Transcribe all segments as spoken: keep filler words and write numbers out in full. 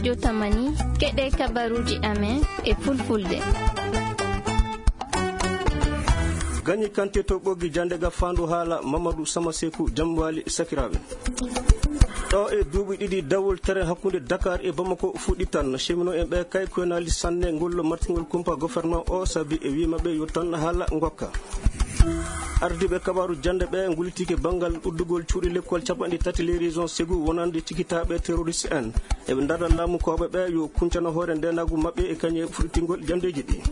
Jotamani, keɗe kabaruuji amen e fulfulde. Gagné Kanté to Ɓoggi, jannde ga faandu haala Mamadou Sama Seku Jamwaali, sakiraaɓe. Ɗo e duuɓi ɗiɗi dawol train hakkunde Dakar e Bamako fuɗɗitan. Cheminot en ɓe kay koyenaali sanne ngol martingol kumpa gouvernement o, sabi e wi maɓɓe yo tan haala ngokka. Ardiiɓe kabaaru jannde ɓe ngullitike banngal uddugol cuuɗi lekkol capanɗe tati les régions Ségou wonande cikitaaɓe terroriste en. Eɓe ndarda laamukooɓe ɓe yo kuncano hoore ndeenaagu maɓɓe e kañe fuɗɗitingol janndeeji ɗi.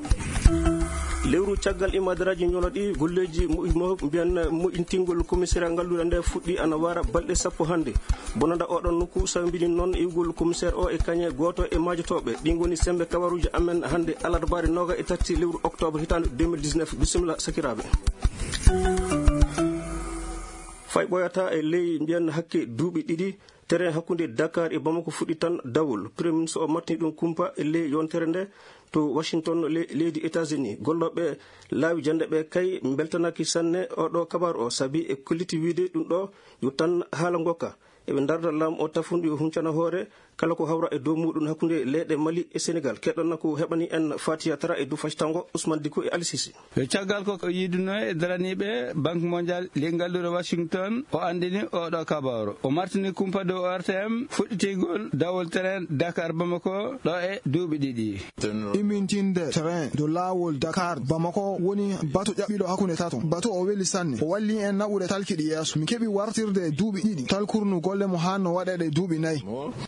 Lewru caggal imadaraaji ñolo ɗi golleeji mo-, mo-, mbiyan moƴƴintingol commissariat ngalluɗo nde fuɗɗi ana wara balɗe sappo hannde. Bonanda oɗon nokku sawbini noon iwgol commissaire o e kañe gooto e maajotooɓe. Ɗi ngoni sembe kabaruuji amen hannde alarbaare nooga e tati lewru octobre hitaande deux mille dix-neuf. Bisimilla sakiraaɓe. Fay ɓoyata e ley mbiyan hakke duuɓi ɗiɗi, terrain hakkunde Dakar e Bamako fuɗɗi tan dawol. Premier ministre o martini ɗum kumpa e ley yontere nde to Washington, le-, leydi États-Unis. Gollooɓe laawi jannde ɓe kay mbeltanaaki sanne oɗo kabaru o, sabi e kolliti wiide ɗum ɗo yo tan haala ngokka. Eɓe ndarda laamu o tafundu yo huncana hoore kala ko hawra e dow muɗum hakkunde leyɗe Mali e Sénégal. Keɗɗon ko heɓani en Fatiya Tara e dow factango Ousmane Diko e Ali Sisi. Yo caggal ko o yiiduno e daraniiɓe Banque Mondiale ley ngalluure Washington, o anndini oɗo kabaru. O martini kumpa dow O R T M fuɗɗitigol dawol train Dakar Bamako ɗo e duuɓi ɗiɗi. Immintinde train dow laawol Dakar Bamako woni batu ƴaɓɓiɗo hakkunde tato. Batu o weli sanne. O walli en naɓude talkiɗi yeeso. Mi keɓi wartirde e duuɓi ɗiɗi. Talkurnu golle mo haanno waɗeede e duuɓi nayi.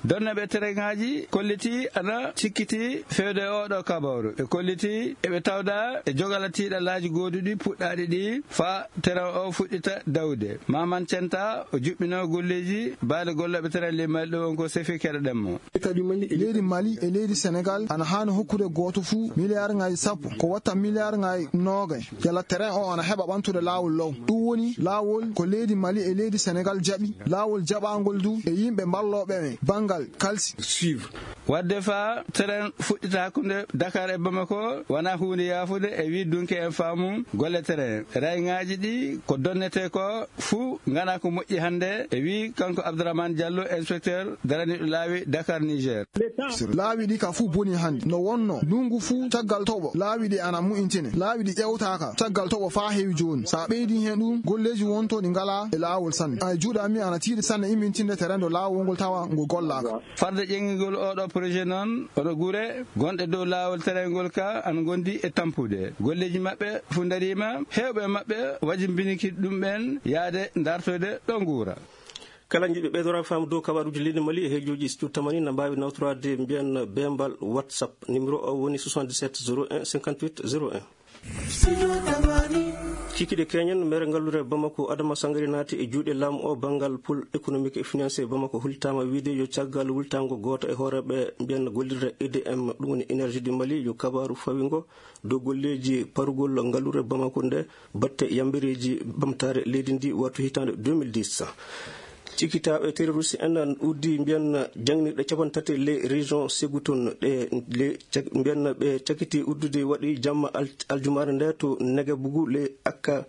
Donneɓe terrainŋaaji kolliti ana cikkiti feewde oɗo kabaru. Ɓe kolliti eɓe tawda e jogala tiiɗalaaji gooduɗi puɗɗaaɗi ɗi fa terrain o fuɗɗita dawde. Maman Centa o juɓɓino golleeji baade gollooɓe terrain ley Mali ɗo won ko Sefi Keɗoɗen mo. Leydi Mali e leydi Senegal ana haani hokkude gooto fuu miliyaarŋaaji sappo, ko watta miliyaarŋaaji noogay. Yalla terrain o ana heɓa ɓamtude laawol law. Ɗum woni laawol ko leydi Mali e leydi Senegal jaɓi. Laawol jaɓaangol du e yimɓe mballooɓe e banngal kalsi. Suivre. Wadde fa terrain fuɗɗita hakkunde Dakar e Bamako wona huunde yaafude e wi dunke en faamu golle terrain. Rayŋaaji ɗi ko donnete ko fuu ngana ko moƴƴi hannde, e wi kanko Abdourahmane Diallo, inspecteur daraniiɗo laawi Dakar, Niger. Laawi ɗi ka fuu boni hannde. No wonno ndunngu fuu caggal toɓo, laawi ɗi ana mu'intine. Laawi ɗi ƴewtaaka caggal toɓo faa heewi jooni. So a ɓeydii heen ɗum, golleeji wonto ɗi ngalaa e laawol sanne. Ay juuɗe am mi ana tiiɗi sanne immintinde terrain dow laawol ngol tawa ngol gollaaka. Farde ƴeŋngol oɗo projet noon, oɗo gure gonɗe dow laawol terrain ngol ka ana ngondi e tampude. Golleeji maɓɓe fuu ndariima, heewɓe maɓɓe wajimbiniki ɗum ɓeen yaade dartoyde ɗo nguura. Kala jiɗɗo ɓeydoraade faamu dow kabaruuji leydi Mali e heejooji studio tamani na mbaawi nawtoraade mbiyan beembal WhatsApp. Numéro o woni soixante-dix-sept zéro un cinquante-huit zéro un. Cikiɗe keñen, mere ngalluure Bamako Adama Sangari naati e juuɗe laamu o banngal pôle économique et financier Bamako. Hultaama wiide yo caggal wultaango gooto e hooreeɓe mbiyan gollirde E D M, ɗum woni Énergie du Mali, yo kabaru fawingo dow golleeji parugol ngalluure Bamako nde batte yambereeji ɓamtaare leydi ndi wattu hitaande deux mille dix. Cikitaaɓe terroriste en uddi mbiyan janginirɗe capanɗe tati ley région Ségou toon. Ɗe le cak-, mbiyan ɓe cakiti uddude waɗi jamma al-, aljumaare nde to Negebugu ley akka-,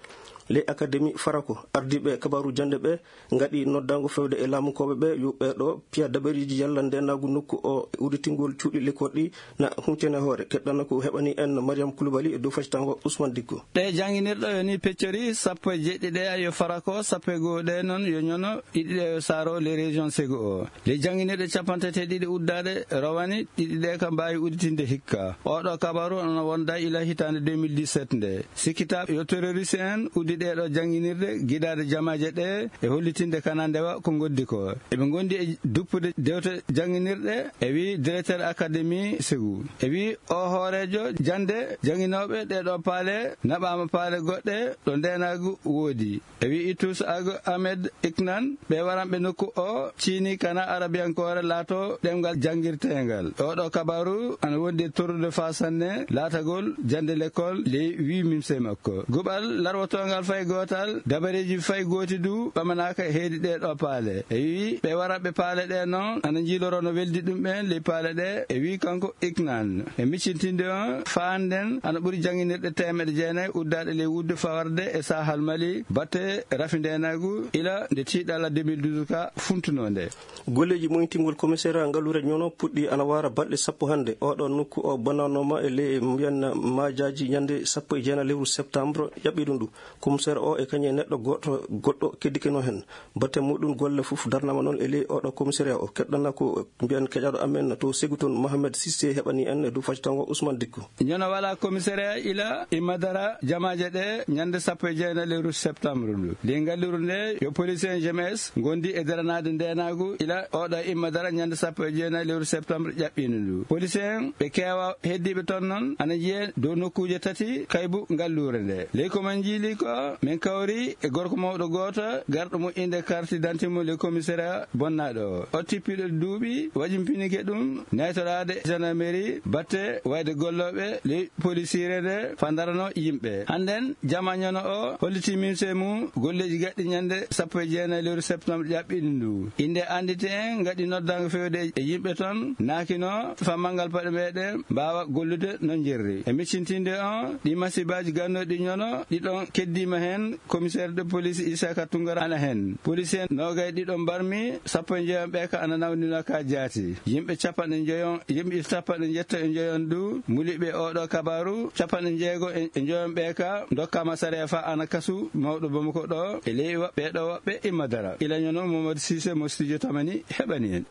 ley académie Farako. Ardiiɓe kabaru jannde ɓe ngaɗi noddaango fewde e laamukooɓe ɓe yo ɓeeɗo piya daɓereeji yalla ndeenaagu nokku o e udditingol cuuɗi lekkol ɗi na huncene hoore. Keɗɗana ko heɓani en Mariam Koulibaly e dow factango Ousmane Dikko. Ɗe jannginirɗo yo ni peccori, sappo e jeeɗiɗi ɗe yo Farako, sappo e goo ɗe noon yo ñono, ɗiɗi ɗe yo Saaro, les régions Ségou o. Les jannginirɗe capanɗe tati e ɗiɗi uddaaɗe rowani, ɗiɗi ɗe ka mbaawi udditinde hikka. Oɗo kabaru ana wonda ila hitaande deux mille dix-sept nde. Sikkitaaɓe yo terroriste en uddi ɗee ɗoo jannginirɗe gidaade jamaaje ɗee e hollitinde kana ndewa ko ngondi ko. Eɓe ngondi e duppude dewte jannginirɗe, e wi directeur académie Ségou. E wi o hooreejo jannde jannginooɓe ɗee ɗoo paale naɓaama paale goɗɗe ɗo ndeenaagu woodi. E wi Itus Ag Ahmed Iknan, ɓe waranɓe nokku o ciini kana arabiyankoore laato ɗemngal janngirteengal. Oɗo kabaru ana wondi e torrude faa sanne laatagol jannde lekkol ley wi mimse makko. Guɓal larwotoongal Fay gootal, dabareeji fay gooti du ɓamanaaka heedi ɗee ɗoo paale. E wii, ɓe wara ɓe paale ɗee noon, ana njiiloroo no weldi ɗum ɓeen ley paale ɗee, e wii kanko Iknan. E miccintinde on, faanden ana ɓuri jannginirɗe teemeɗe jeenayi uddaaɗe ley wudde fawarde e Sahal Mali, batte rafi ndeenaagu, ila nde tiiɗalla deux mille douze ka funtunoo nde. Golleeji moytingol commissariat ngalluure Ñono puɗɗi ana waara balɗe sappo hannde. Oɗo nokku o bonnanooma e ley mbiyan maajaaji ñande sappo e jeenayi lewru septembre ƴaɓɓi ɗum ɗum. Commissaire o e kañum e neɗɗo goɗɗo, goɗɗo keddikeno heen. Batte muɗum golle fof darnama noon e ley oɗo commissariat o. Keɗɗana ko mbiyan keƴaɗo amen to Ségou toon, Mohamed Cissé heɓani en e dow faccitago Ousmane Dikko. Ñono wala commissariat ila imma dara jamaaje ɗe ñande sappo e jeenayi lewru septembre ndu. Ley ngalliru nde yo police en G M S ngondi e daranaade ndeenaagu ila oɗo imma dara ñande sappo e jeenayi lewru septembre ƴaɓɓiinde ndu. Police en ɓe keewa heddiiɓe toon noon ana njiyee dow nokkuuje tati kaybu ngalluure nde. Ley ko men njiili ko men kawri e gorko mawɗo gooto garɗo mo innde carte d'identité mo ley commissariat bonnaaɗo o. O tippiiɗo duuɓi wajimpinike ɗum naytoraade gendarmerie batte wayde gollooɓe ley polisiire nde fandarano yimɓe. Hannden jama Ñono o holliti mimse mum golleeji gaɗɗi ñande sappo e jeenayi lewru septembre ƴaɓɓiɗi ndu. Innde anndite en ngaɗi noddaango fewde e yimɓe toon, naakino fammangal paɗe meɗen mbaawa gollude no njerri. E miccintinde on, ɗi masibaaji gannooɗi Ñono, ɗi ɗon keddiima heen, commissaire de police Isaka Tungara ana heen. Police en noogay ɗiɗo mbarmi, sappo e njoyon ɓe ka ana nawninoo ka jaati. Yimɓe capanɗe njoyon, yimɓe capanɗe njetto e njoyon du, muliɓe oɗo kabaru, capanɗe njeego e njoyon ɓe ka, dokkama sariya fa ana kasu, mawɗo Bamako ɗo, e ley wa-, ɓe ɗo woɓɓe imma dara. Ila Ñono Momodou Cissé mo studio Tamani heɓani en.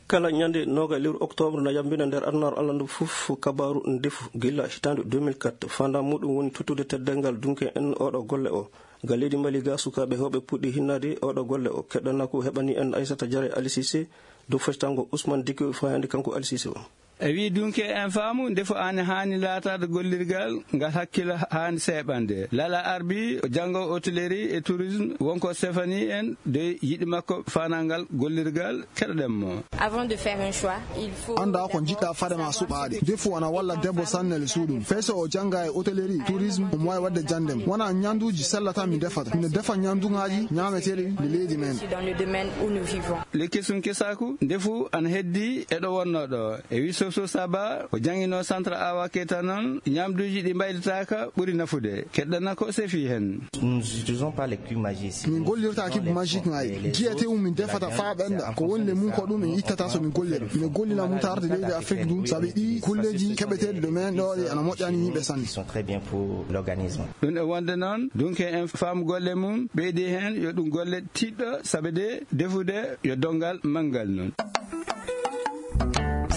Kala ñande noga lewru octobre na yambina nder adunaaru Allah ndu fof kabaru ndefu gila hitaande deux mille quatre. Fanda muɗum woni tottude teddeengal dunke en oɗo golle o. Ga leydi Mali ga sukaaɓe hewɓe puɗɗi hinnaade oɗo golle o. Keɗɗana ko heɓani en Aissata Diarra Ali Cissé dow fectango Ousmane Dikko fayande kanko Ali Cissé o. E wi dunke en faamu ndefu ane haani laataade gollirgal ngal hakkila haani seeɓande. Lala Arbi, o janngo hôtellerie et tourisme, wonko Stéphanie en de yiɗi makko fanangal gollirgal. Keɗoɗen mo. Avant de faire un choix, il faut Annda ko njiɗɗa fade ma suɓaade. Ndefu ana walla debbo sannel suuɗum. Fay so o jannga e hôtellerie, tourisme, omo waawi waɗde janndem. Wona ñaanduuji sellata mi defata. Miɗo defa ñaanduŋaaji ñaameteeɗi ɗi leydi men. Dans le domaine où nous vivons. Le kesum kesaku, ndefu ana heddi e ɗo wonno ɗo. E wi Soso Saba, o jangino centre Awa Keita noon, ñaamduuji ɗi mbaylitaaka ɓuri nafude. Keɗɗana ko sefi hen. Nous n'utilisons pas les cubes magiques ici. Min gollirta cube magique ngaji. Jiyete um min defata faa ɓenda. Ko woni le mum ko ɗum en ittata so min golliri. Min gollina mum tarde leydi Afrique ɗum, sabi ɗi kulleeji keɓeteeɗi ɗo men ɗo ɗi ana moƴƴani yimɓe sanne. Sont très bien pour l'organisme. Ɗum e wonde noon, dunke en faamu golle mum, ɓeydi heen yo ɗum golle tiiɗɗo, sabi de defude yo donngal manngal noon.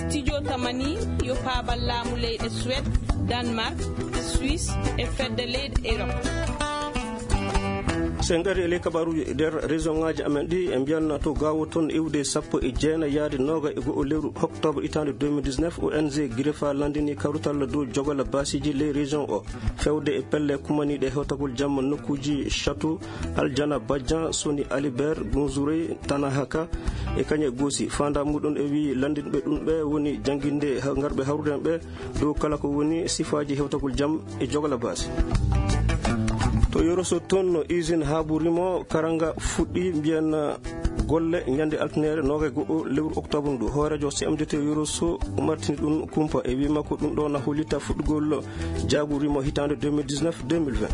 Studio Tamani yo paabal laamu leyɗe Suède, Danemark, Suisse e fedde leyɗe Europe. So en ngari e ley kabaruuji nder région ngaaji amen ɗi, e mbiyanna to Gaawo toon iwde sappo e jeenayi yaade nooga e go'o lewru octobre hitaande deux mille dix-neuf, O N G Girefa landini kawrital dow jogola baasiiji ley région o. Fewde e pelle kumaniiɗe hewtagol jamma nokkuuji Château, Aljana Badian, Soni Alibert, Gunzurey, Tanahaka, e kañe goosi. Faandaa muɗum e wii lanndinɓe ɗum ɓe woni jannginde ha-, ngarɓe hawrude ɓe dow kala ko woni sifaaji hewtagol jam e jogola baasi. To Yoroso toon no usine Habu Rimo Karanga fuɗɗi mbiyan golle ñande altine nooga e go'o lewru octobre ndu. Hooreejo C M D T Yoroso umartini ɗum kumpa e wii makko ɗum ɗo na hollita fuɗɗugol jaagu rimo hitaande deux mille dix-neuf deux mille vingt.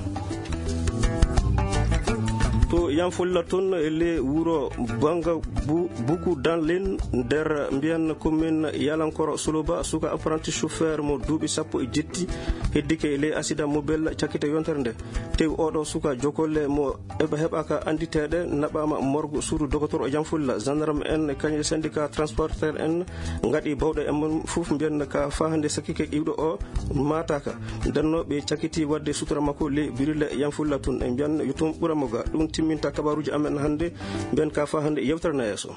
To Yanfolla toon e le wuro Banga Bu-, Buku Danlin nder mbiyan commune Yalankoro Suluba, suka apprenti chauffeur mo duuɓi sappo e jetti heddike e le accident mobile cakkite yontere nde. Tew oɗo suka jokolle mo eɓe heɓaka annditeeɗe naɓaama morgue suudu dogotor o Yanfolla. Gendarme en kañe syndicat transporteur en ngaɗi bawɗe e mum fof mbiyan ka fahande sakkike iwɗo o maataka. Ndenno ɓe cakkiti wadde sutura makko le birile Yanfolla tun e mbiyan yo tun ɓura mo ga. Ɗum timminta kabaruuji amen hannde mbiyan ka fahande yewtere na yeeso.